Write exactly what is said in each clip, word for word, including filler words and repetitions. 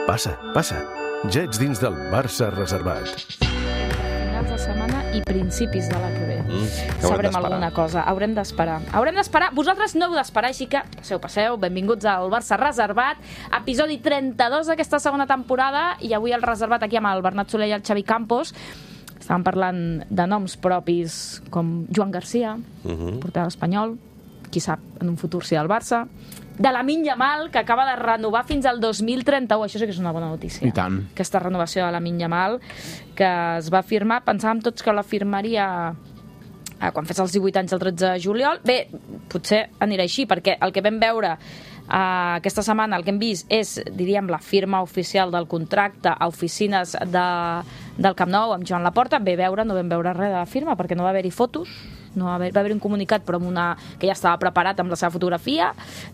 Passa, passa. Ja ets dins del Barça reservat. Finals de setmana i principis de la que ve. Mm, Sabrem alguna cosa. Haurem d'esperar. Haurem d'esperar. Vosaltres no heu d'esperar, així que passeu, passeu. Benvinguts al Barça Reservat. Episodi trenta-dos d'aquesta segona temporada. I avui el reservat aquí amb el Bernat Soler i el Xavi Campos. Estàvem parlant de noms propis com Joan Garcia, uh-huh. porter espanyol, qui sap, en un futur si del Barça, de Lamine Yamal, que acaba de renovar fins al dos mil trenta-u. Això sí que és una bona notícia. I tant. Aquesta renovació de Lamine Yamal, que es va firmar, pensàvem tots que la firmaria eh, quan fes els divuit anys el tretze de juliol. Bé, potser anirà així, perquè el que vam veure eh, aquesta setmana, el que hem vist és, diríem, la firma oficial del contracte a oficines de, del Camp Nou amb Joan Laporta. Bé, veure, no vam veure res de la firma, perquè no va haver-hi fotos. No va haver, va haver un comunicat però amb una, que ja estava preparat amb la seva fotografia,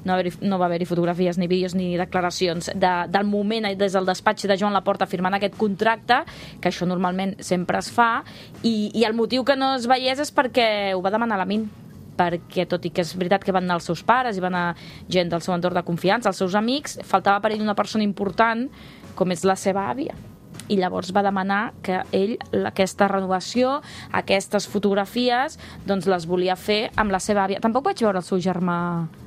no, haver, no va haver-hi fotografies ni vídeos ni declaracions de, del moment des del despatx de Joan Laporta firmant aquest contracte, que això normalment sempre es fa, i, i el motiu que no es veiés és perquè ho va demanar Lamine, perquè tot i que és veritat que van anar els seus pares i van anar gent del seu entorn de confiança, els seus amics, faltava per ell una persona important com és la seva àvia. I llavors va demanar que ell aquesta renovació, aquestes fotografies, doncs les volia fer amb la seva àvia. Tampoc vaig veure el seu germà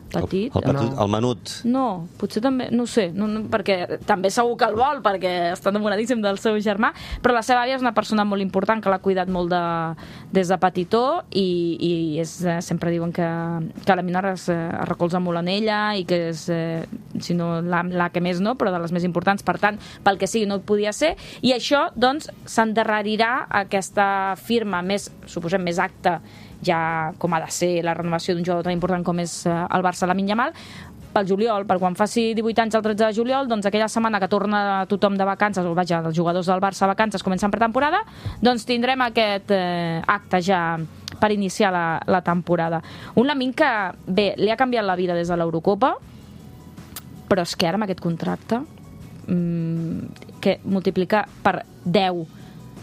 petit. El, el, petit, el menut. No, potser també, no ho sé, no, no, perquè també segur que el vol, perquè està enamoradíssim del seu germà, però la seva àvia és una persona molt important, que l'ha cuidat molt de, des de petitó, i, i és, eh, sempre diuen que, que la Mina es, es recolza molt en ella, i que és, eh, si no la, la que més no, però de les més importants, per tant, pel que sigui no podia ser, i això, doncs, s'endarrerirà aquesta firma més, suposem, més acta, ja com ha de ser la renovació d'un jugador tan important com és el Barça, Lamine Yamal, pel juliol, per quan faci divuit anys el tretze de juliol, doncs aquella setmana que torna tothom de vacances, o vaja, els jugadors del Barça a vacances comencen pretemporada, doncs tindrem aquest eh, acte ja per iniciar la, la temporada. Un Lamine que, bé, li ha canviat la vida des de l'Eurocopa, però és que ara amb aquest contracte mmm, que multiplica per deu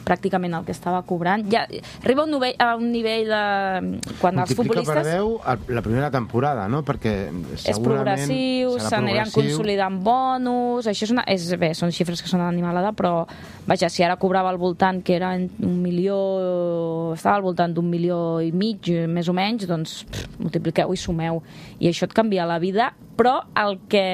pràcticament el que estava cobrant. Ja arriba a un nivell, a un nivell de... Quan els futbolistes... Multiplica per deu la primera temporada, no? Perquè segurament... És progressiu, s'aniran consolidant bonus... Això és una... És, bé, són xifres que són animalada, però vaja, si ara cobrava al voltant, que era un milió... Estava al voltant d'un milió i mig, més o menys, doncs pff, multipliqueu i sumeu. I això et canvia la vida, però el que...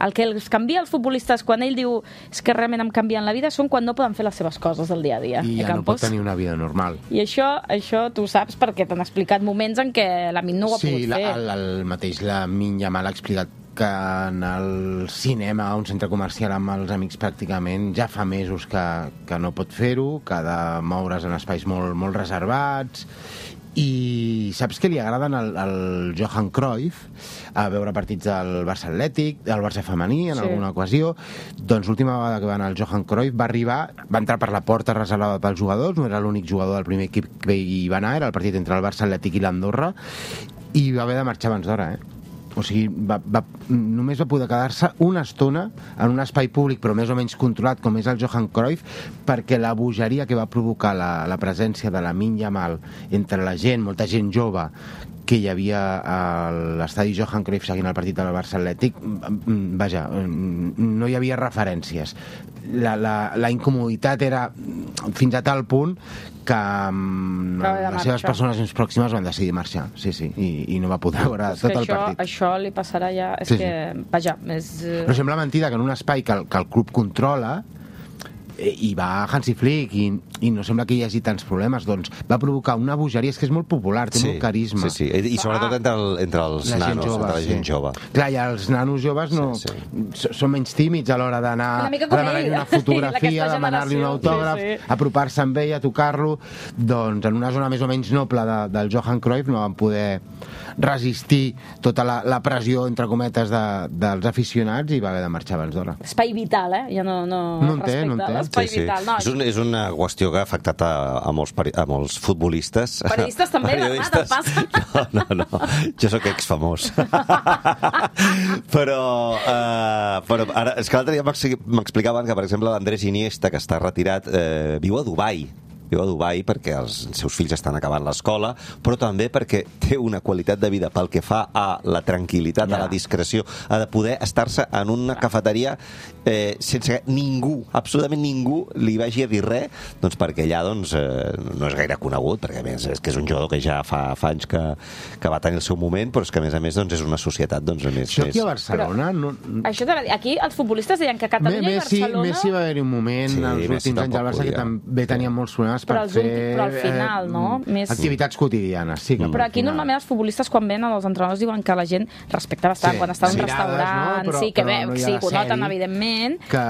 El que els canvia els futbolistes quan ell diu és que realment em canvien la vida són quan no poden fer les seves coses del dia a dia. I ja no pot tenir una vida normal. I això, això tu saps perquè t'han explicat moments en què Lamine no ho ha sí, pogut la, fer. Sí, el, el mateix Lamine Yamal ha explicat que en el cinema, a un centre comercial amb els amics pràcticament, ja fa mesos que, que no pot fer-ho, que ha de moure's en espais molt, molt reservats. I saps que li agraden al, al Johan Cruyff a veure partits del Barça Atlètic, del Barça femení en sí. alguna ocasió? Doncs l'última vegada que va anar el Johan Cruyff va arribar, va entrar per la porta reservada pels jugadors, no era l'únic jugador del primer equip que hi va anar, era el partit entre el Barça Atlètic i l'Andorra, i va haver de marxar abans d'hora, eh? O sigui, va, va, només va poder quedar-se una estona en un espai públic, però més o menys controlat, com és el Johan Cruyff, perquè la bogeria que va provocar la, la presència de Lamine Yamal entre la gent, molta gent jove, que hi havia a l'estadi Johan Cruyff seguint el partit del Barça Atlètic, vaja, no hi havia referències. La, la, la incomoditat era fins a tal punt que les seves persones més pròximes van decidir marxar, sí, sí, i, i no va poder veure tot el això, partit. Això li passarà ja... És sí, que, sí. vaja, és... Però sembla mentida que en un espai que el, que el club controla i va Hansi Flick i, i no sembla que hi hagi tants problemes, doncs va provocar una bogeria, és que és molt popular, té sí, molt carisma. Sí, sí, i sobretot entre, el, entre els la nanos, jove, entre la gent sí. jove. Clar, i els nanos joves no, sí, sí. són menys tímids a l'hora d'anar a demanar-li una fotografia, a demanar-li un autògraf, sí, sí. apropar-se amb ell, a tocar-lo, doncs en una zona més o menys noble de, del Johan Cruyff no van poder resistir tota la, la pressió, entre cometes, de, dels aficionats i va haver de marxar abans d'hora. Espai vital, eh? Ja no, no, no en té, no en té. L'espai sí, sí. vital. No, és, un, és una qüestió que ha afectat a, a, molts, peri a molts futbolistes. Periodistes també, Bernat, passa? No, no, no. Jo sóc exfamós. però, uh, però ara, és que l'altre dia m'explicaven que, per exemple, l'Andrés Iniesta, que està retirat, eh, viu a Dubai. viu a Dubai perquè els seus fills estan acabant l'escola, però també perquè té una qualitat de vida pel que fa a la tranquil·litat, yeah. a la discreció, a de poder estar-se en una cafeteria eh, sense que ningú, absolutament ningú, li vagi a dir res, doncs perquè allà doncs, eh, no és gaire conegut, perquè a més és que és un jugador que ja fa, fa anys que, que va tenir el seu moment, però és que a més a més doncs, és una societat doncs, més... Això aquí a Barcelona... Però, no... Això t'ha de dir, aquí els futbolistes deien que Catalunya Messi, i Barcelona... Messi va haver-hi un moment, sí, els Messi últims anys del Barça, que també tenia molts problemes per però fer... Últim, però al final, eh, no? Més... Activitats quotidianes, sí. Que Però aquí final... normalment els futbolistes quan ven els entrenadors diuen que la gent respecta bastant, sí, quan està en un mirades, restaurant, no? Però, sí, que però bé, no sí, ho noten evidentment, que,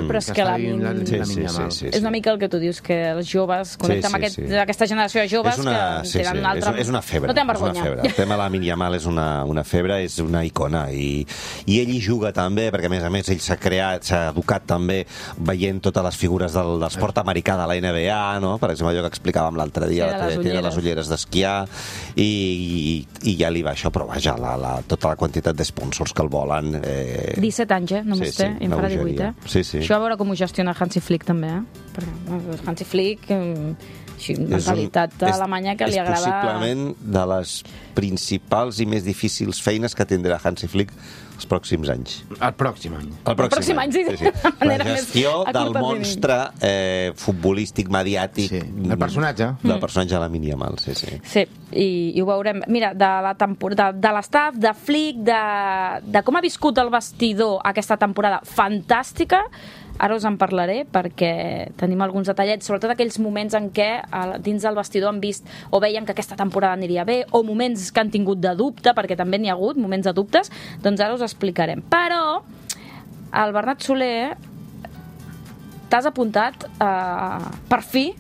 però és que, que la, la, la, sí, la sí, sí, sí, sí. és una mica el que tu dius, que els joves connecten sí, sí, amb aquest, sí. aquesta generació de joves és una, que sí, tenen sí, una altra... és, és una febre. No tenen vergonya. És una febre. El tema de la Lamine Yamal és una, una febre, és una icona, i, i ell hi juga també, perquè a més a més ell s'ha creat, s'ha educat també veient totes les figures del, del esport americà de la N B A, no? Per exemple, allò que explicàvem l'altre dia, sí, té les ulleres d'esquiar, i, i, i ja li va això, però vaja, la, la, tota la quantitat d'esponsors que el volen... Eh... disset anys, eh? Només sí, té, sí, i en farà divuit, eh? Sí, sí. Això a veure com ho gestiona Hansi Flick, també, eh? Perquè Hansi Flick... Eh... Així, mentalitat un, és, alemanya que li agrada... És possiblement de les principals i més difícils feines que tindrà Hansi Flick els pròxims anys. El pròxim any. El pròxim, el pròxim any, any, sí. sí. sí. La gestió del monstre eh, futbolístic, mediàtic... Sí. El personatge. Del personatge de Lamine Yamal, sí, sí. Sí, i, i ho veurem. Mira, de la temporada, de, de l'estaf, de Flick, de, de com ha viscut el vestidor aquesta temporada fantàstica, ara us en parlaré perquè tenim alguns detallets, sobretot aquells moments en què dins del vestidor han vist o veien que aquesta temporada aniria bé, o moments que han tingut de dubte, perquè també n'hi ha hagut moments de dubtes, doncs ara us explicarem. Però el Bernat Soler t'has apuntat eh, per fi,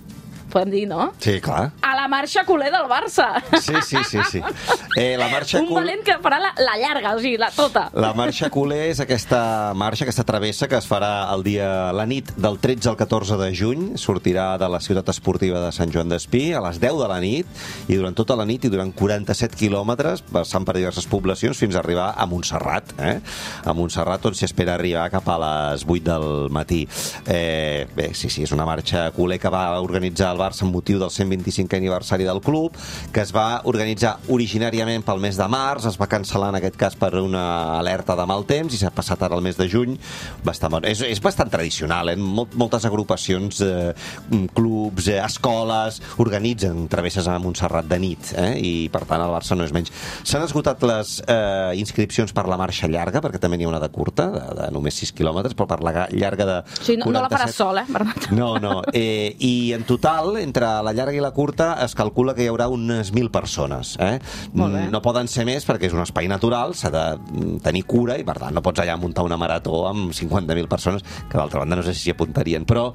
podem dir, no? Sí, clar. A la marxa culer del Barça. Sí, sí, sí, sí. Eh, la marxa Un cul... valent que farà la, la llarga, o sigui, la tota. La marxa culer és aquesta marxa, aquesta travessa que es farà el dia, la nit del tretze al catorze de juny. Sortirà de la ciutat esportiva de Sant Joan d'Espí a les deu de la nit, i durant tota la nit i durant quaranta-set quilòmetres, passant per diverses poblacions fins a arribar a Montserrat. Eh? A Montserrat, on s'hi espera arribar cap a les vuit del matí. Eh, bé, sí, sí, és una marxa culer que va organitzar el Barça amb motiu del cent vint-i-cinquè aniversari del club, que es va organitzar originàriament pel mes de març, es va cancel·lar en aquest cas per una alerta de mal temps i s'ha passat ara al mes de juny. Bastant bon. és, és bastant tradicional, eh? Mol, moltes agrupacions, eh, clubs, eh, escoles organitzen travesses a Montserrat de nit, eh? I per tant el Barça no és menys. S'han esgotat les eh, inscripcions per la marxa llarga, perquè també n'hi ha una de curta, de, de només sis quilòmetres, però per la llarga de sí, no, quaranta-set... no la faràs sol, eh, Bernat? No, no. Eh, I en total, entre la llarga i la curta, es calcula que hi haurà unes mil persones. Eh? No poden ser més perquè és un espai natural, s'ha de tenir cura i, per tant, no pots allà muntar una marató amb cinquanta mil persones, que d'altra banda no sé si s'hi apuntarien, però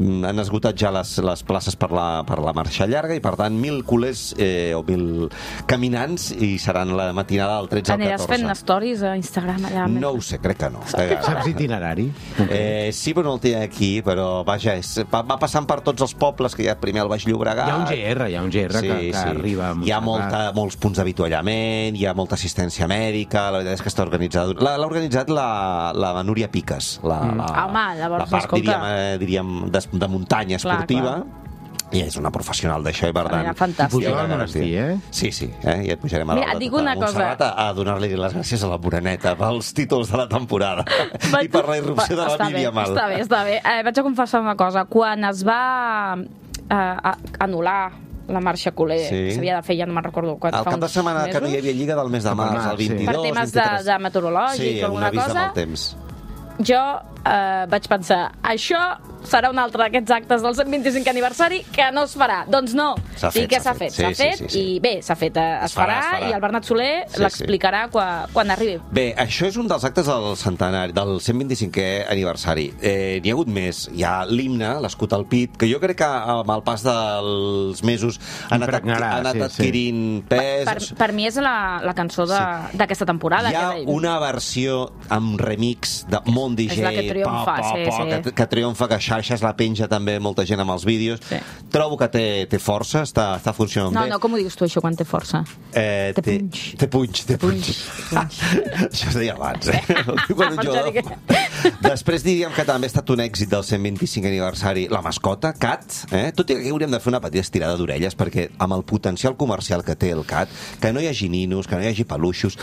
han esgotat ja les, les places per la, per la marxa llarga i, per tant, mil culers eh, o mil caminants i seran la matinada del tretze al catorze. Aniràs fent stories a Instagram allà? No ho sé, crec que no. Saps itinerari? Eh, sí, però no el tinc aquí, però vaja, és, va, va passant per tots els pobles, que hi ha primer el Baix Llobregat. Hi ha un G R, hi ha un G R sí, que, que sí. arriba a Montserrat. Hi ha molta, molts punts d'avituallament, hi ha molta assistència mèdica, la veritat és que està organitzada. L'ha organitzat la, la Núria Piques, la, mm. la, Home, llavors, la part, escolta. diríem, eh, diríem de, de muntanya esportiva. Clar, clar. I és una professional d'això, i per tant... Mira, fantàstic. I pujeu al monestir, eh? Sí, sí, eh? I et pujarem a, Mira, la, dic una a Montserrat cosa. a, a donar-li les gràcies a la Moreneta pels títols de la temporada Va, i per la irrupció de la Lamine Yamal. Està bé, està bé. Eh, vaig a confessar una cosa. Quan es va eh, anul·lar la marxa culer, sí. s'havia de fer, ja no me'n recordo quan, el cap de setmana mesos? Que no hi havia Lliga del mes de març, el vint-i-dos, per temes de, de meteorològic sí, o alguna cosa, temps. jo eh, vaig pensar, això serà un altre d'aquests actes del cent vint-i-cinquè aniversari que no es farà. Doncs no. S'ha fet, I què s'ha fet? S'ha fet, fet sí, sí, sí. i bé, s'ha fet, es, es, farà, farà, es farà, i el Bernat Soler sí, l'explicarà sí. quan, quan arribi. Bé, això és un dels actes del centenari, del cent vint-i-cinquè aniversari. Eh, N'hi ha hagut més. Hi ha l'himne, l'escut al pit, que jo crec que amb el pas dels mesos ha anat, ha anat sí, adquirint sí. pes. Per, per, per mi és la, la cançó d'aquesta sí. temporada. Hi ha que... una versió amb remix de Mont D J, és la que triomfa, pa, pa, sí, pa, sí. Que, que triomfa, que això xarxes la penja també molta gent amb els vídeos. Sí. Trobo que té, té força, està, està funcionant No, bé. no, com ho dius tu, això, quan té força? Eh, Té punx. Té punx, té punx. Punx, Això es deia abans, eh? Quan un jugador... Després diríem que també ha estat un èxit del cent vint-i-cinc aniversari la mascota, Cat, eh? Tot i que aquí hauríem de fer una petita estirada d'orelles, perquè amb el potencial comercial que té el Cat, que no hi hagi ninos, que no hi hagi peluixos,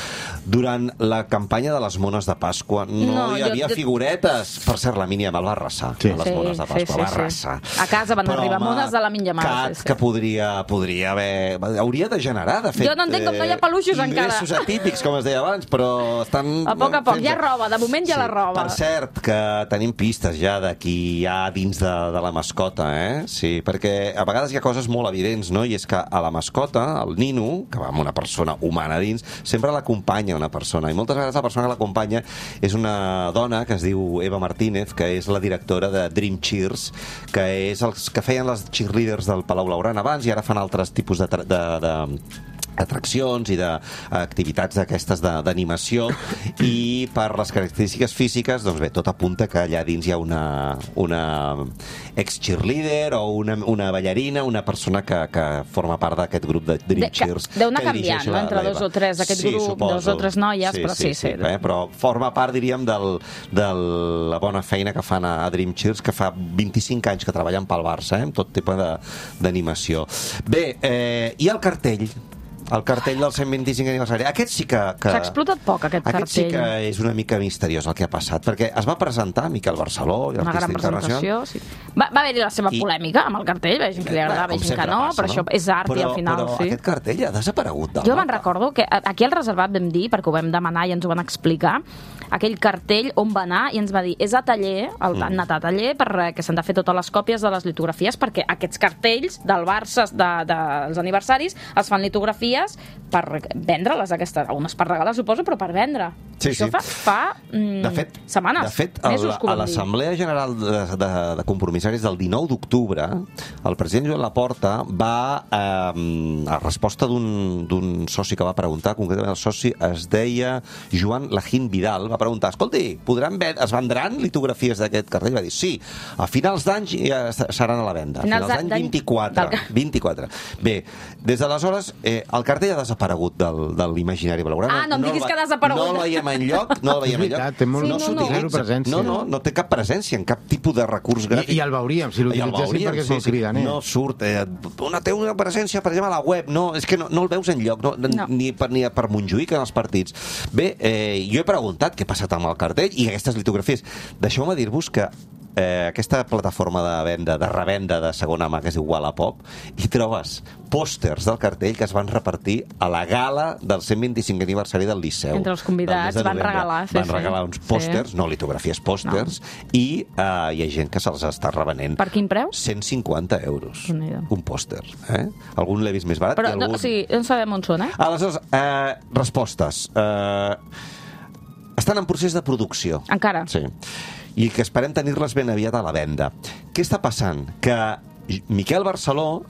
durant la campanya de les mones de Pasqua no, No, hi jo- havia jo- figuretes. Per cert, la Mínia me'l va arrasar, Sí. a les Sí, mones de sí, Pasqua, sí, va sí. arrasar. A casa van Però, arribar home, mones de la Mínia Mare, Cat, sí, sí. que podria, podria haver... Hauria de generar, de fet... Jo no entenc com no hi ha peluixos eh, encara. ingressos atípics, com es deia abans, però estan... A poc a poc, fent- hi ha roba, de moment hi ha la roba. Per cert, que tenim pistes ja de qui hi ha dins de, de la mascota, eh? Sí, perquè a vegades hi ha coses molt evidents, no? I és que a la mascota, el nino, que va amb una persona humana dins, sempre l'acompanya una persona, i moltes vegades la persona que l'acompanya és una dona que es diu Eva Martínez, que és la directora de Dream Cheers, que és els que feien les cheerleaders del Palau Blaugrana abans i ara fan altres tipus de... de, de atraccions i d'activitats d'aquestes de- d'animació, i per les característiques físiques, doncs bé, tot apunta que allà dins hi ha una, una ex-cheerleader o una, una ballarina, una persona que, que forma part d'aquest grup de Dream De- que Cheers. deu anar que dirigeix canviant, no? la- Entre la dos Eva. o tres d'aquest Sí, grup, suposo. dos o tres noies, però sí, sí. Eh? Però forma part, diríem, de la bona bona feina que fan a, a Dream Cheers, que fa vint-i-cinc anys que treballen pel Barça, eh? Amb tot tipus de- d'animació. Bé, eh, i el cartell? El cartell del cent vint-i-cinc aniversari. Aquest sí que... que... S'ha explotat poc, aquest Aquest sí cartell. que és una mica misteriós el que ha passat, perquè es va presentar Miquel Barceló, Una gran l'artista internacional. presentació, sí. Va, va haver-hi la seva I- polèmica amb el cartell, veig que li agradava, Com veig que sempre no, passa, però això és art però, i al final, però sí. aquest cartell ha desaparegut del Jo me'n mapa. recordo que aquí al reservat vam dir, perquè ho vam demanar i ens ho van explicar, aquell cartell on va anar i ens va dir és a taller, el, Mm. han anat a taller perquè s'han de fer totes les còpies de les litografies, perquè aquests cartells del Barça de, de, dels aniversaris es fan litografies per vendre-les aquestes, unes per regalar suposo, però per vendre. Sí, Això sí. fa, fa mm, De fet, setmanes, de fet el, mesos que ho a vam dir. l'Assemblea General de, de, de Compromissaris del dinou d'octubre, el president Joan Laporta va, eh, a resposta d'un d'un soci que va preguntar, concretament el soci es deia Joan Lajín Vidal, va preguntar, escolti, podran ven es vendran litografies d'aquest cartell? Va dir, sí, a finals d'any ja seran a la venda. A Finals finals d'any d'any vint-i-quatre. del- vint-i-quatre. Bé, des d'aleshores, eh, el cartell ha desaparegut del, de l'imaginari blaugrana. Ah, no em diguis el que va- ha desaparegut. No el veiem enlloc, no el veiem És enlloc. veritat, té molt- Sí, no, no. s'utilitza. Zero presència. No, no, no té cap presència en cap tipus de recurs gràfic. I, I el veuríem, si I el l'utilitzéssim veuríem, perquè és sí, molt sí. cridaner. No surt. Eh, una, té una presència, per exemple, a la web. No, és que no, no el veus enlloc, no, No. ni, per, ni per Montjuïc en els partits. Bé, eh, jo he preguntat què ha passat amb el cartell i aquestes litografies. Deixeu-me dir-vos que eh, aquesta plataforma de venda, de revenda de segona mà que es diu Wallapop, hi trobes pòsters del cartell que es van repartir a la gala del cent vint-i-cinc aniversari del Liceu. Entre els del mes convidats de van novembre. regalar, sí, Van sí. regalar uns pòsters, Sí. no litografies, pòsters, i eh, hi ha gent que se'ls està revenent. Per quin preu? cent cinquanta euros. Déu-n'hi-do. Un pòster. Eh? Algun l'he vist més barat Però, i no, algun... o sigui, no sabem on són, eh? Aleshores, eh, respostes. Eh, estan en procés de producció. Encara? Sí. I que esperem tenir-les ben aviat a la venda. Què està passant? Que Miquel Barceló,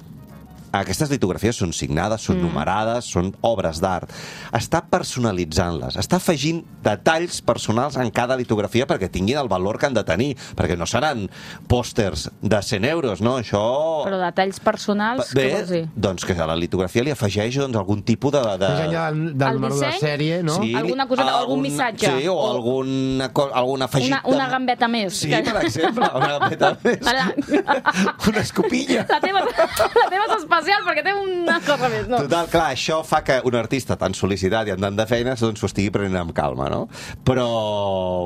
aquestes litografies són signades, són mm. numerades, són obres d'art. Està personalitzant-les, està afegint detalls personals en cada litografia perquè tinguin el valor que han de tenir, perquè no seran pòsters de cent euros, no? Això... Però detalls personals, Bé, què vols dir? doncs que a la litografia li afegeix doncs, algun tipus de... de... Més enllà del, del El número de disseny? sèrie, no? Sí, Alguna coseta, algun missatge? Sí, o, O- alguna, co- algun afegit... Una, una gambeta més. Sí, per exemple, una gambeta més. Ara- Una escopilla. La teva, la teva és especial perquè té una cosa més. No. Total, clar, això fa que un artista tan sol·licitat i amb tant de feines doncs s'ho estigui prenent amb calma, no? Però,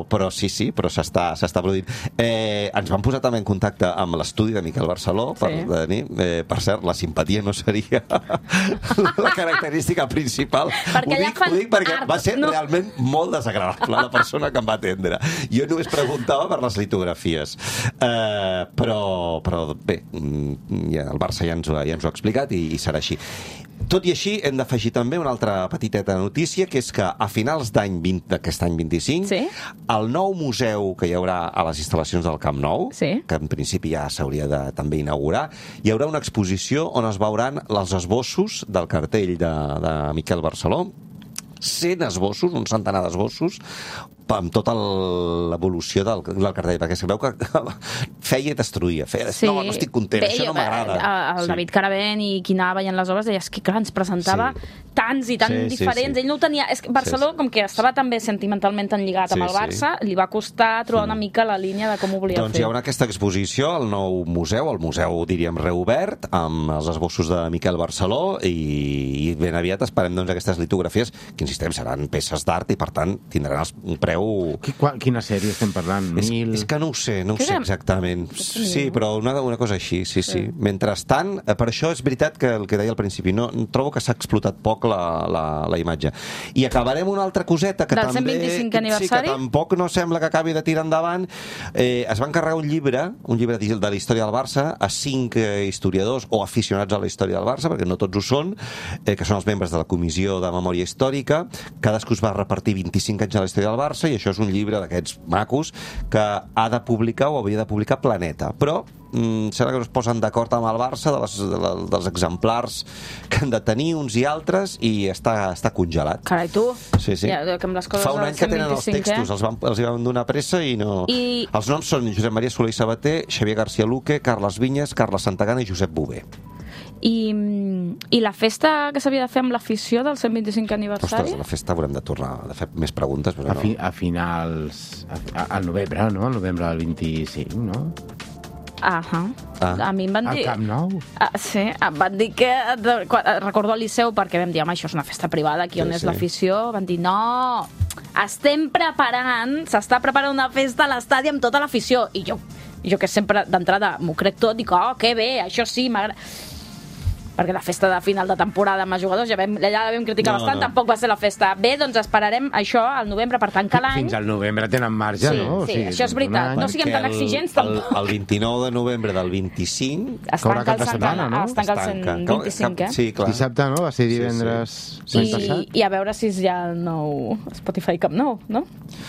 però sí, sí, però s'està s'està produint. Eh, ens vam posar també en contacte amb l'estudi de Miquel Barceló per, Sí. tenir, eh, per cert, la simpatia no seria la característica principal. Perquè ho allà dic, fan ho dic perquè art, va ser no? realment molt desagradable la persona que em va atendre. Jo només preguntava per les litografies. Eh, però, però bé, mm, ja, el Barça ja ens ho, ja ens ho ha explicat i, i serà així. Tot i així, hem d'afegir també una altra petiteta notícia, que és que a finals d'any vint d'aquest any vint-i-cinc, Sí. el nou museu que hi haurà a les instal·lacions del Camp Nou, Sí. que en principi ja s'hauria de també inaugurar, hi haurà una exposició on es veuran els esbossos del cartell de, de Miquel Barceló, cent esbossos, un centenar d'esbossos, amb tota l'evolució del, del cartell, perquè es veu que feia i destruïa. Feia, sí. No, no estic content, Bé, això no m'agrada. El sí. David Caravent i qui anava veient les obres deia, és que clar, ens presentava sí. tants i tan sí, diferents. Sí, sí. Ell no ho tenia... És que Barcelona, sí, sí. com que estava també sentimentalment tan lligat sí, amb el Barça, sí. li va costar trobar una mica la línia de com ho volia doncs fer. Doncs hi haurà aquesta exposició al nou museu, el museu, diríem, reobert, amb els esbossos de Miquel Barceló, i, i ben aviat esperem doncs, aquestes litografies, que insistem, seran peces d'art i per tant tindran un preu... Quina sèrie estem parlant? És, Mil... és que no ho sé, no ho sé exactament. Sí, però una, una cosa així, sí, sí. Mentrestant, per això és veritat que el que deia al principi, no, trobo que s'ha explotat poc la, la, la imatge. I acabarem una altra coseta que Del també... cent vint-i-cinquè aniversari? Sí, que tampoc no sembla que acabi de tirar endavant. Eh, es va encarregar un llibre, un llibre de la història del Barça, a cinc eh, historiadors o aficionats a la història del Barça, perquè no tots ho són, eh, que són els membres de la Comissió de Memòria Històrica. Cadascú es va repartir vint-i-cinc anys a la història del Barça, i això és un llibre d'aquests macos que ha de publicar o havia de publicar Planeta. Però mm, sembla que no es posen d'acord amb el Barça de les, de la, dels exemplars que han de tenir uns i altres, i està, està congelat. Carai, tu? Sí, sí. Ja, que amb les coses Fa un any que tenen els textos, eh? els, van, els hi van donar pressa i no... I... Els noms són Josep Maria Soler i Sabater, Xavier García Luque, Carles Vinyes, Carles Santagana i Josep Bové. I, I la festa que s'havia de fer amb l'afició del cent vint-i-cinquè aniversari? Ostres, la festa haurem de tornar a fer més preguntes, però a, fi, no. a finals... A, al novembre, no? Al novembre del vint-i-cinc, no? Ahà. Ah. A mi em van dir... Al Camp Nou? Ah, sí, em van dir que... Recordo al Liceu, perquè vam dir, home, això és una festa privada, aquí on sí, és sí. l'afició. Van dir, no, estem preparant, s'està preparant una festa a l'estadi amb tota l'afició. I jo, jo que sempre d'entrada m'ho crec tot, dic, oh, que bé, això sí, m'agrada... perquè la festa de final de temporada amb els jugadors ja, vam, ja la vam criticar no, bastant, no. Tampoc va ser la festa. Bé, doncs esperarem això al novembre per tancar l'any. Fins al novembre tenen marge, sí, no? Sí, o sigui, això és veritat. No siguem tan exigents, tampoc. El, el vint-i-nou de novembre del vint-cinc... Es tanca el, setmana, no? Es tanca el cent vint-i-cinc, eh? Sí, clar. Dissabte, no? Va ser divendres... Sí, sí. I, I a veure si és ja el nou Spotify Camp Nou, no?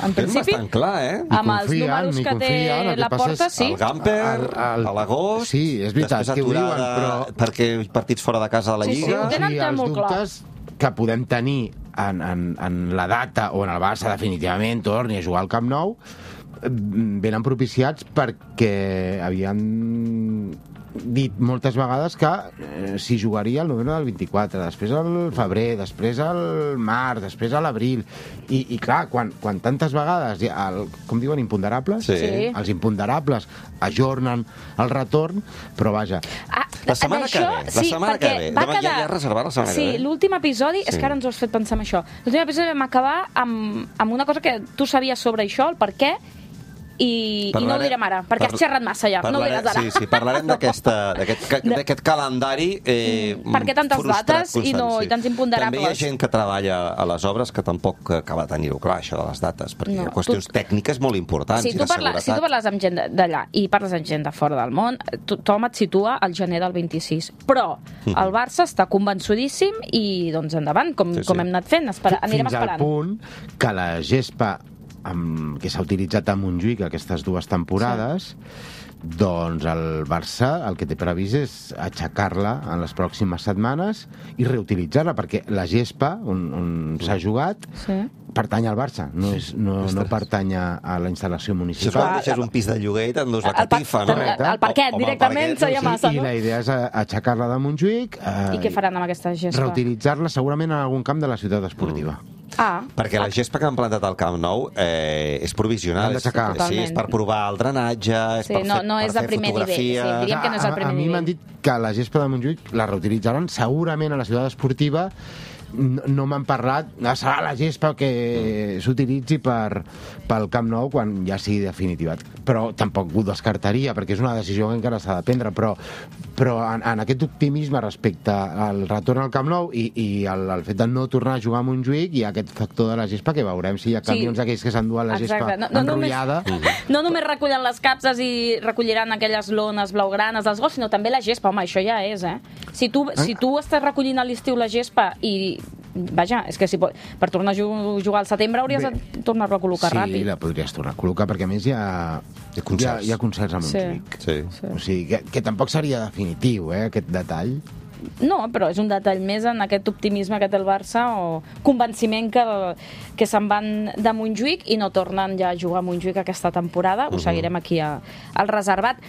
En principi... bastant clar, eh? Amb els números que té la porta, sí. El Gamper, a l'agost... Sí, és veritat, que ho diuen, però... Perquè partits fora de casa de la Lliga... Sí, sí, ho tenen els molt dubtes clar. Que podem tenir en, en, en la data on el Barça definitivament torni a jugar al Camp Nou venen propiciats perquè havien dit moltes vegades que eh, s'hi jugaria el novembre del vint-i-quatre, després al febrer, després al març, després a l'abril, i, i clar, quan, quan tantes vegades, el, com diuen, imponderables, sí. els imponderables ajornen el retorn, però vaja. Ah, la setmana que ve, la sí, setmana que ve. Va quedar... Ja, ja reservat la setmana sí, que ve. L'últim episodi, sí. És que ara ens ho has fet pensar en això, l'últim episodi vam acabar amb, amb una cosa que tu sabies sobre això, el per què, I, i no ho direm ara, perquè has xerrat massa ja, no ho diràs ara. Sí, sí, parlarem d'aquest calendari eh, per què tantes dates i, no, sí. i tants imponderables. També hi ha gent que treballa a les obres que tampoc acaba de tenir-ho clar, això de les dates, perquè no, hi ha qüestions tu... tècniques molt importants sí, i de parla, seguretat. Si tu parles amb gent d'allà i parles amb gent de fora del món, tothom et situa al gener del vint-i-sis, però mm. el Barça està convençudíssim i doncs endavant, com, sí, sí. com hem anat fent, Espera, anirem Fins esperant. Fins al punt que la gespa amb, que s'ha utilitzat a Montjuïc aquestes dues temporades, sí. doncs el Barça el que té previst és aixecar-la en les pròximes setmanes i reutilitzar-la, perquè la gespa on, on s'ha jugat sí. pertany al Barça, no, és, no, no pertany a la instal·lació municipal. Això quan deixes un pis de lloguer i t'endús la catifa, no? El parquet, directament, seria massa, no? I la idea és aixecar-la de Montjuïc... I què faran amb aquesta gespa? Reutilitzar-la segurament en algun camp de la ciutat esportiva. Mm. Ah. Perquè la gespa que han plantat al Camp Nou eh, és provisional. Sí, és per provar el drenatge, és sí, per no, fer, no per és fer de primer fotografia... nivell. Sí, diríem que no és el primer a, a nivell. A mi m'han dit que la gespa de Montjuïc la reutilitzaran segurament a la ciutat esportiva. No, no m'han parlat, serà la gespa que s'utilitzi per, pel Camp Nou quan ja sigui definitivat. Però tampoc ho descartaria, perquè és una decisió que encara s'ha de prendre, però, però en, en aquest optimisme respecte al retorn al Camp Nou i, i el, el fet de no tornar a jugar a Montjuïc, hi ha aquest factor de la gespa que veurem si hi ha camions sí. aquells que s'enduen la gespa no, no enrotllada. Només, no només recullen les capses i recolliran aquelles lones blaugranes dels gols, sinó també la gespa. Home, això ja és, eh? Si tu, eh? si tu estàs recollint a l'estiu la gespa i vaja, és que si pot, per tornar a jugar al setembre hauries Bé, de tornar-lo a col·locar sí, ràpid. Sí, la podries tornar a col·locar, perquè a més hi ha, hi ha, concerts. Hi ha, hi ha concerts a Montjuïc. Sí. Sí. O sigui, que, que tampoc seria definitiu, eh, aquest detall. no, però és un detall més en aquest optimisme que té el Barça o convenciment que, que se'n van de Montjuïc i no tornen ja a jugar a Montjuïc aquesta temporada. Ho seguirem aquí a, al reservat.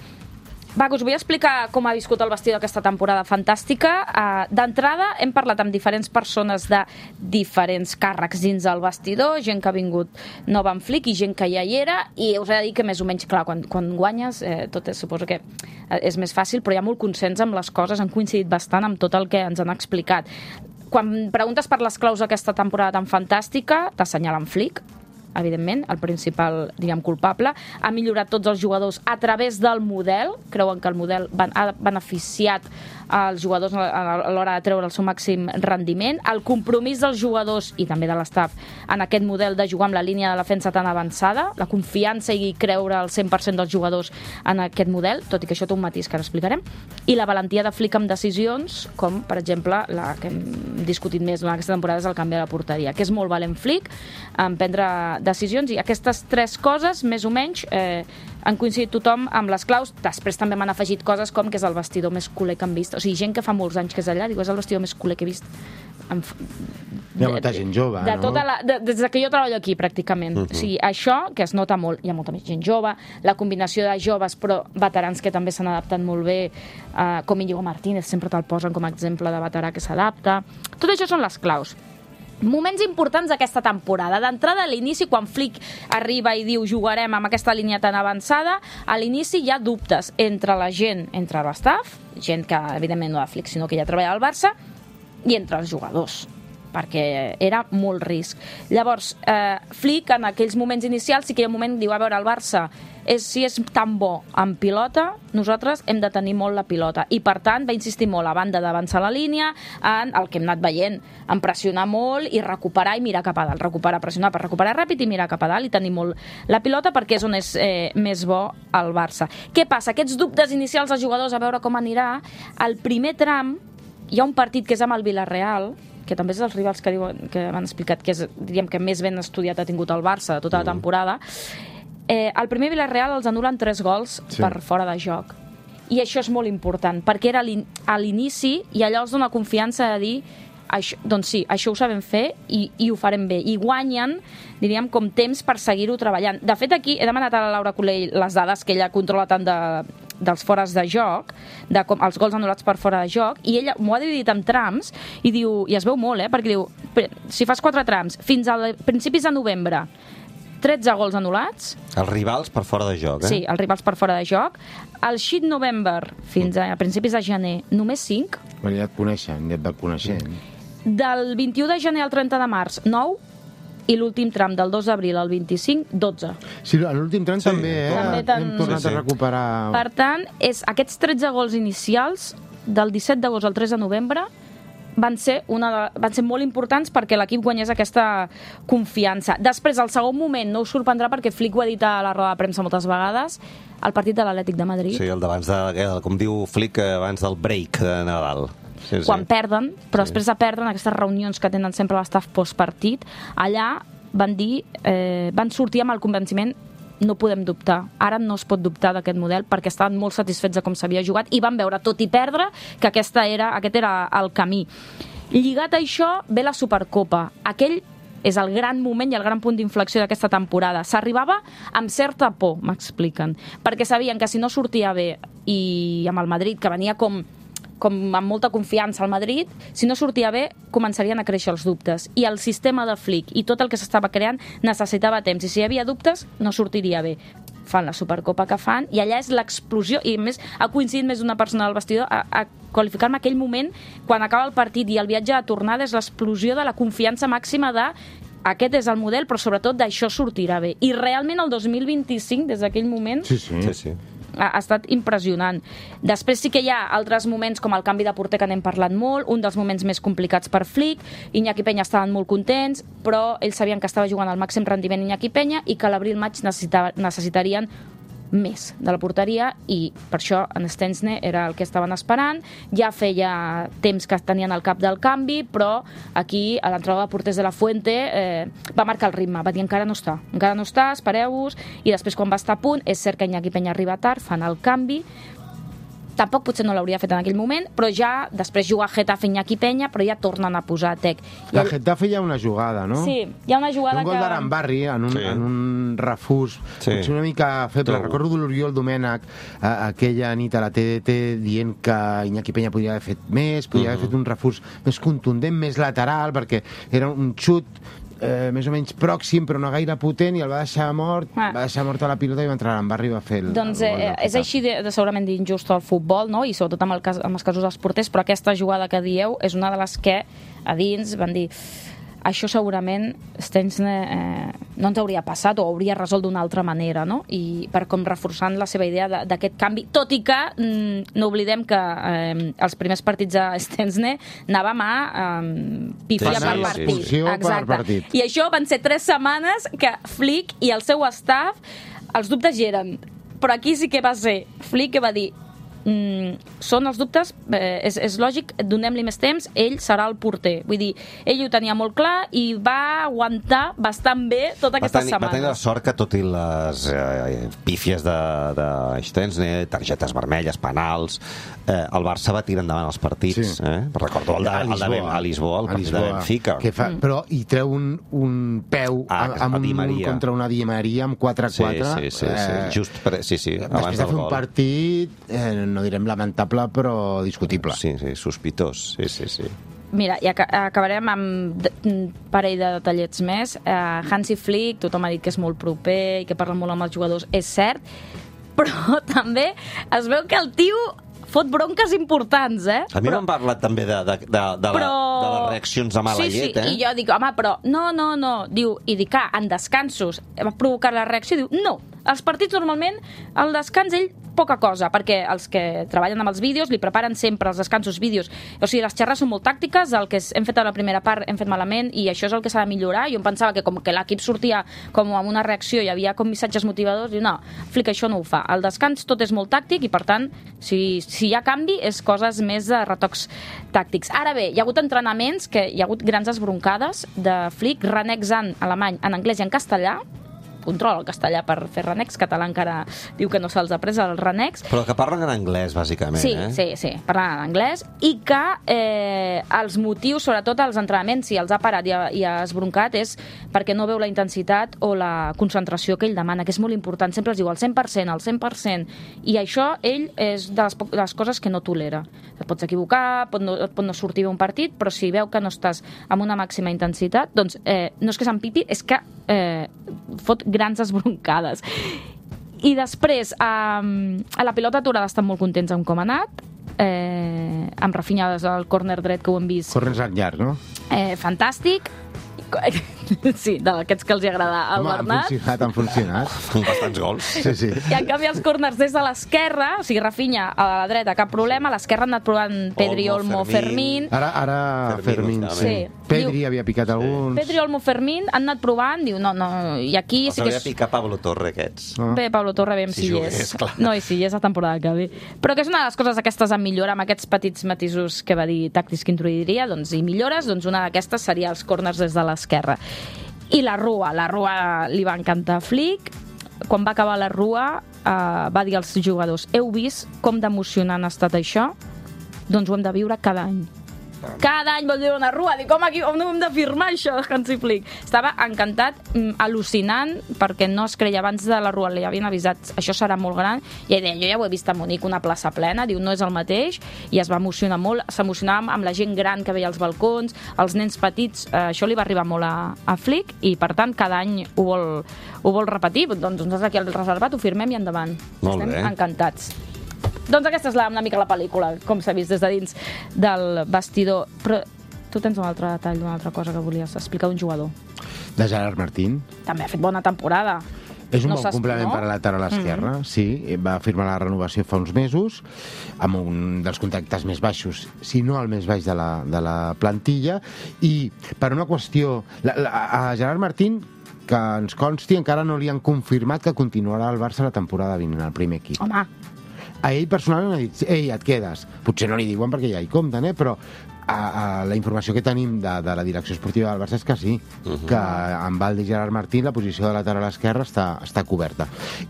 Va, us vull explicar com ha viscut el vestidor aquesta temporada fantàstica. Uh, D'entrada, hem parlat amb diferents persones de diferents càrrecs dins del vestidor, gent que ha vingut nova en Flick i gent que ja hi era, i us he de dir que més o menys, clar, quan, quan guanyes, eh, tot és, suposo que és més fàcil, però hi ha molt consens amb les coses, han coincidit bastant amb tot el que ens han explicat. Quan preguntes per les claus d'aquesta temporada tan fantàstica, t'assenyalen Flick, evidentment, el principal, diguem, culpable. Ha millorat tots els jugadors a través del model. Creuen que el model ha beneficiat als jugadors a l'hora de treure el seu màxim rendiment. El compromís dels jugadors i també de l'estaf en aquest model de jugar amb la línia de defensa tan avançada, la confiança i creure al cent per cent dels jugadors en aquest model, tot i que això té un matís que ara explicarem, i la valentia de Flick amb decisions, com, per exemple, la que hem discutit més durant aquesta temporada és el canvi de la porteria, que és molt valent Flick en prendre decisions, i aquestes tres coses, més o menys, eh, han coincidit tothom amb les claus. Després també m'han afegit coses com que és el vestidor més culer que han vist. O sigui, gent que fa molts anys que és allà, diu, és el vestidor més culer que he vist. Hi ha molta gent jove, de no? Tota la, de, des que jo treballo aquí, pràcticament. Uh-huh. O sigui, això, que es nota molt, hi ha molta més gent jove, la combinació de joves però veterans que també s'han adaptat molt bé, eh, com Íñigo Martínez, sempre te'l posen com a exemple de veterà que s'adapta. Tot això són les claus. Moments importants d'aquesta temporada. D'entrada, a l'inici, quan Flick arriba i diu jugarem amb aquesta línia tan avançada, a l'inici hi ha dubtes entre la gent, entre l'estaf, gent que evidentment no de Flick, sinó que ja treballa al Barça, i entre els jugadors, perquè era molt risc. Llavors, eh, Flick, en aquells moments inicials, sí que hi ha un moment que diu, a veure, el Barça, és, si és tan bo en pilota, nosaltres hem de tenir molt la pilota. I, per tant, va insistir molt, a banda d'avançar la línia, en el que hem anat veient, en pressionar molt i recuperar i mirar cap a dalt. Recuperar, pressionar per recuperar ràpid i mirar cap a dalt i tenir molt la pilota, perquè és on és eh, més bo el Barça. Què passa? Aquests dubtes inicials dels jugadors, a veure com anirà, al primer tram hi ha un partit que és amb el Villarreal, que també és dels rivals que, diuen, que m'han explicat que és, diríem, que més ben estudiat ha tingut el Barça de tota la temporada. Eh, el primer Villarreal els anulen tres gols sí. per fora de joc. I això és molt important, perquè era a l'inici i allò els dona confiança de dir això, doncs sí, això ho sabem fer i, i ho farem bé. I guanyen, diríem, com temps per seguir-ho treballant. De fet, aquí he demanat a la Laura Colell les dades que ella controla tant de, dels fores de joc, de com, els gols anul·lats per fora de joc, i ella m'ho ha dividit en trams, i diu, i es veu molt, eh, perquè diu, si fas quatre trams, fins a principis de novembre, tretze gols anul·lats. Els rivals per fora de joc, eh? Sí, els rivals per fora de joc. El Sheet November, fins a principis de gener, només cinc. Bueno, ja et coneixen, ja et va coneixent. Del vint-i-u de gener al trenta de març, nou. I l'últim tram, del dos d'abril al vint-i-cinc, dotze. Sí, l'últim tram sí, també, eh? També ten... hem tornat sí, sí. a recuperar... Per tant, és, aquests tretze gols inicials, del disset d'agost al tres de novembre, van ser, una de, van ser molt importants perquè l'equip guanyés aquesta confiança. Després, al segon moment, no us sorprendrà perquè Flick ho ha dit a la roda de premsa moltes vegades, el partit de l'Atlètic de Madrid. Sí, el d'abans de, com diu Flick, abans del break de Nadal. Sí, sí. Quan perden, però sí. després de perdre, en aquestes reunions que tenen sempre l'estaf postpartit, allà van dir, eh, van sortir amb el convenciment no podem dubtar. Ara no es pot dubtar d'aquest model perquè estaven molt satisfets de com s'havia jugat i van veure, tot i perdre, que aquesta era, aquest era el camí. Lligat a això ve la Supercopa. Aquell és el gran moment i el gran punt d'inflexió d'aquesta temporada. S'arribava amb certa por, m'expliquen, perquè sabien que si no sortia bé i amb el Madrid, que venia com com amb molta confiança al Madrid, si no sortia bé, començarien a créixer els dubtes. I el sistema de Flick i tot el que s'estava creant necessitava temps. I si hi havia dubtes, no sortiria bé. Fan la Supercopa que fan, i allà és l'explosió, i a més ha coincidit més d'una persona del vestidor a, a qualificar-me aquell moment, quan acaba el partit i el viatge de tornada, és l'explosió de la confiança màxima de aquest és el model, però sobretot d'això sortirà bé. I realment el dos mil vint-i-cinc, des d'aquell moment... Sí, sí. sí, sí. ha estat impressionant. Després sí que hi ha altres moments com el canvi de porter que n'hem parlat molt, un dels moments més complicats per Flick. Iñaki Peña estaven molt contents, però ells sabien que estava jugant al màxim rendiment Iñaki Peña i que a l'abril-maig necessitarien més de la porteria, i per això en Stensne era el que estaven esperant. Ja feia temps que tenien el cap del canvi, però aquí a l'entrada de porters de la Fuente eh, va marcar el ritme, va dir encara no està, encara no està, espereu-vos, i després quan va estar a punt, és cert que Iñaki Peña arriba tard, fan el canvi, tampoc potser no l'hauria fet en aquell moment, però ja després juga Getafe, Iñaki Peña, però ja tornen a posar Tec. I La el... Getafe hi ha una jugada, no? Sí, hi ha una jugada un gol que... d'Arambarri en, un, Sí. en un refús, Sí. potser una mica feble. Trobo. Recordo l'Oriol Domènech eh, aquella nit a la T D T dient que Iñaki Peña podria haver fet més, podria Uh-huh. haver fet un refús més contundent, més lateral, perquè era un xut eh, més o menys pròxim, però no gaire potent, i el va deixar mort, Ah. va deixar mort a la pilota i va entrar a l'Arambarri i va fer el, Doncs el gol eh, del és Getafe. així de, de segurament d'injust al futbol, no? I sobretot amb, el cas, amb els casos dels porters, però aquesta jugada que dieu és una de les que a dins van dir això segurament Stensner eh, no ens hauria passat o hauria resolt d'una altra manera, no? I per com reforçant la seva idea de- d'aquest canvi, tot i que mm, no oblidem que eh, els primers partits de Stensner anàvem a eh, pifia Sí, per sí, partit. sí, sí. per partit. I això van ser tres setmanes que Flick i el seu staff, els dubtes hi eren. Però aquí sí que va ser Flick que va dir mm, són els dubtes, eh, és, és lògic, donem-li més temps, ell serà el porter. Vull dir, ell ho tenia molt clar i va aguantar bastant bé totes Va aquestes tenir, va tenir la setmanes. sort que, tot i les eh, pífies de, de Stensner, targetes vermelles, penals, eh, el Barça va tirar endavant els partits. Sí. Eh? Recordo el de, el de Ben- a Lisboa, el A partit de Lisboa, Benfica. que fa, però hi treu un, un peu Ah, amb, amb a Di un, Maria. contra una Di Maria amb quatre a Sí, quatre. sí, sí, sí. Just per, sí, sí, abans Després de del fer un gol. partit, eh, no direm lamentable, però discutible. Sí, sí, sospitós. Sí, sí, sí. Mira, i aca acabarem amb de- un parell de detallets més. Uh, Hansi Flick, tothom ha dit que és molt proper i que parla molt amb els jugadors, és cert, però també es veu que el tio fot bronques importants, eh? A mi però... m'han parlat també de, de, de, de, però... la, de les reaccions de mala sí, llet, sí, eh? i jo dic, home, però no, no, no, diu, i dic, ah, en descansos va provocar la reacció, diu, no, els partits normalment, al descans ell poca cosa, perquè els que treballen amb els vídeos li preparen sempre els descansos vídeos, o sigui, les xerres són molt tàctiques, el que hem fet a la primera part hem fet malament i això és el que s'ha de millorar. Jo em pensava que com que l'equip sortia com amb una reacció, hi havia com missatges motivadors, diu, no, Flick això no ho fa, al descans tot és molt tàctic i per tant, si, si hi ha canvi és coses més de retocs tàctics. Ara bé, hi ha hagut entrenaments que hi ha hagut grans esbroncades de Flick, renexant alemany en anglès i en castellà, controla el castellà per fer renecs, català encara diu que no se'ls ha pres el renecs. Però que parlen en anglès, bàsicament, Sí, eh? sí, sí, parlant en anglès, i que eh, els motius, sobretot als entrenaments, si els ha parat i ha, i ha esbroncat, és perquè no veu la intensitat o la concentració que ell demana, que és molt important. Sempre es diu al cent per cent, al cent per cent, i això ell és de les, de les coses que no tolera. Et pots equivocar, pot no, et pot no sortir bé un partit, però si veu que no estàs amb una màxima intensitat, doncs eh, no és que s'empipi, és que eh, fot grans esbroncades. I després, a, a la pilota aturada estan molt contents amb com ha anat, eh, amb Rafinha al córner dret, que ho hem vist, Corrents al llarg, no? eh, fantàstic. Sí, d'aquests que els hi agrada al Home, han Bernat. funcionat, han funcionat. Bastants gols. Sí, sí. I en canvi els corners des de l'esquerra, o sigui, Rafinha a la dreta, cap problema, a l'esquerra han anat provant Pedri, Olmo, Olmo, Fermín. Ara, ara Fermín, Fermín, sí. sí. Pedri Diu- havia picat alguns. Pedri, Olmo, Fermín han anat provant, diu, no, no, i aquí Els sí que hauria és... de picar Pablo Torre, aquests. No? Bé, Pablo Torre, veiem Si si, hi jugués, és. clar. No, i si hi és la temporada que ve. Però que és una de les coses aquestes a millorar, amb aquests petits matisos que va dir tàctics que introduiria, doncs, i millores, doncs una d'aquestes seria els corners des de l'esquerra. I la Rua, la Rua li va encantar a Flick. Quan va acabar la Rua, eh, va dir als jugadors, heu vist com d'emocionant ha estat això? Doncs ho hem de viure cada any. Cada any vol dir una Rua. Dic, home, aquí, on ho hem de firmar, això, Hansi Flick? Estava encantat, mm, al·lucinant, perquè no es creia abans de la Rua, li havien avisat, això serà molt gran, i ell deia, jo ja ho he vist a Munic, una plaça plena, diu, no és el mateix, i es va emocionar molt, s'emocionava amb la gent gran que veia als balcons, els nens petits, eh, això li va arribar molt a, a Flick, i per tant, cada any ho vol, ho vol repetir, doncs nosaltres aquí al reservat ho firmem i endavant. Molt Estem bé. encantats. Doncs aquesta és la, una mica la pel·lícula, com s'ha vist des de dins del vestidor. Però tu tens un altre detall, una altra cosa que volies explicar d'un jugador. De Gerard Martín. També ha fet bona temporada. És un No bon s'es- complement no? per a la lateral esquerra, mm -hmm. sí. Va firmar la renovació fa uns mesos, amb un dels contractes més baixos, si no el més baix de la, de la plantilla, i per una qüestió... La, la, a Gerard Martín, que ens consti, encara no li han confirmat que continuarà al Barça la temporada vinent, al primer equip. Home, a ell personalment ha dit, ei, et quedes. Potser no li diuen perquè ja hi compten, eh? Però a, a la informació que tenim de, de la direcció esportiva del Barça és que sí, uh-huh. que amb Valde i Gerard Martí la posició de lateral esquerra està, està coberta.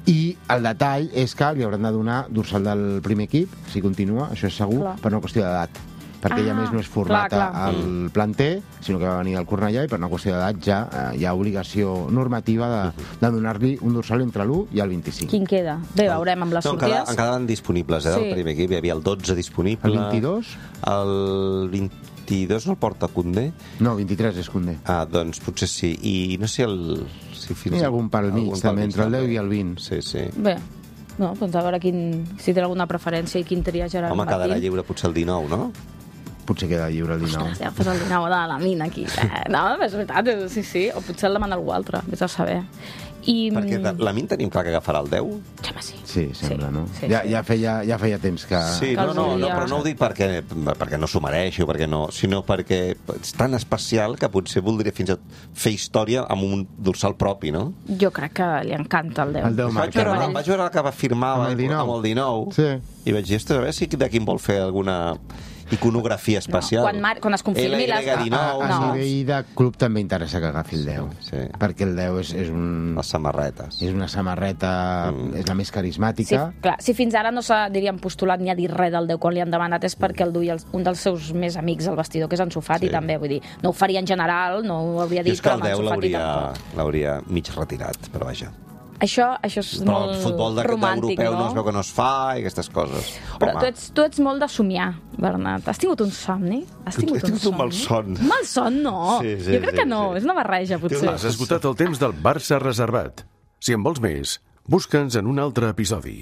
I el detall és que li hauran de donar dorsal del primer equip, si continua, això és segur, clar. Per una qüestió d'edat. Perquè ah, ja més no és format clar, clar. al planter, sinó que va venir del Cornellà i per una qüestió d'edat ja eh, hi ha obligació normativa de, de donar-li un dorsal entre l'u i el vint-i-cinc. Quin queda? Bé, veurem amb les no, sortides. En quedaven disponibles, eh, sí. del primer equip. Hi havia el dotze disponible. El vint-i-dos? El vint-i-dos no el porta Koundé? No, vint-i-tres és Koundé. Ah, doncs potser sí. I no sé el... Si fins... Hi ha algun pel mig, també, entre el deu i el vint. Sí, sí. Bé, no, doncs a veure quin, si té alguna preferència i quin tria Gerard Home, Martí. quedarà lliure potser el dinou, no? Potser queda lliure el dinou. Ostres, ja fas el dinou de la mina aquí. Eh, no, és veritat, sí, sí. O potser el demana algú altre, vés a saber. I... Perquè de, la mina tenim clar que agafarà el deu? Home, sí. Sí, sembla, sí, no? Sí, ja, sí. ja, feia, ja feia temps que... Sí, que no, no, no, volia... però no ho dic perquè, perquè no s'ho mereixi o perquè no, sinó perquè és tan especial que potser voldria fins a fer història amb un dorsal propi, no? Jo crec que li encanta el deu. El deu vaig, veure, no? vaig veure que va firmar amb el dinou, amb el dinou sí. I vaig dir, ostres, a veure si de quin vol fer alguna iconografia especial. No, quan, mar, quan es confirmi les... A, a, a no. nivell de club també interessa que agafi el deu, sí, sí. perquè el deu és, és un... Les samarretes. És una samarreta, mm. és la més carismàtica. Sí, clar, si fins ara no s'ha, diríem, postulat ni ha dit res del deu quan li han demanat és perquè el duia un dels seus més amics al vestidor, que és Ansu Fati, sí. també, vull dir, no ho faria en general, no ho hauria dit, però amb Ansu Fati tampoc. L'hauria mig retirat, però vaja. Això, això és però molt el futbol de, romàntic, europeu no? no es veu que no es fa i aquestes coses. Però tu ets, tu ets molt de somiar, Bernat. Has tingut un somni? Has tingut, He tingut un, un malson. Un malson, no. Sí, sí, jo crec sí, que no, sí. és una barreja, potser. Has esgotat el temps del Barça reservat. Si en vols més, busca'ns en un altre episodi.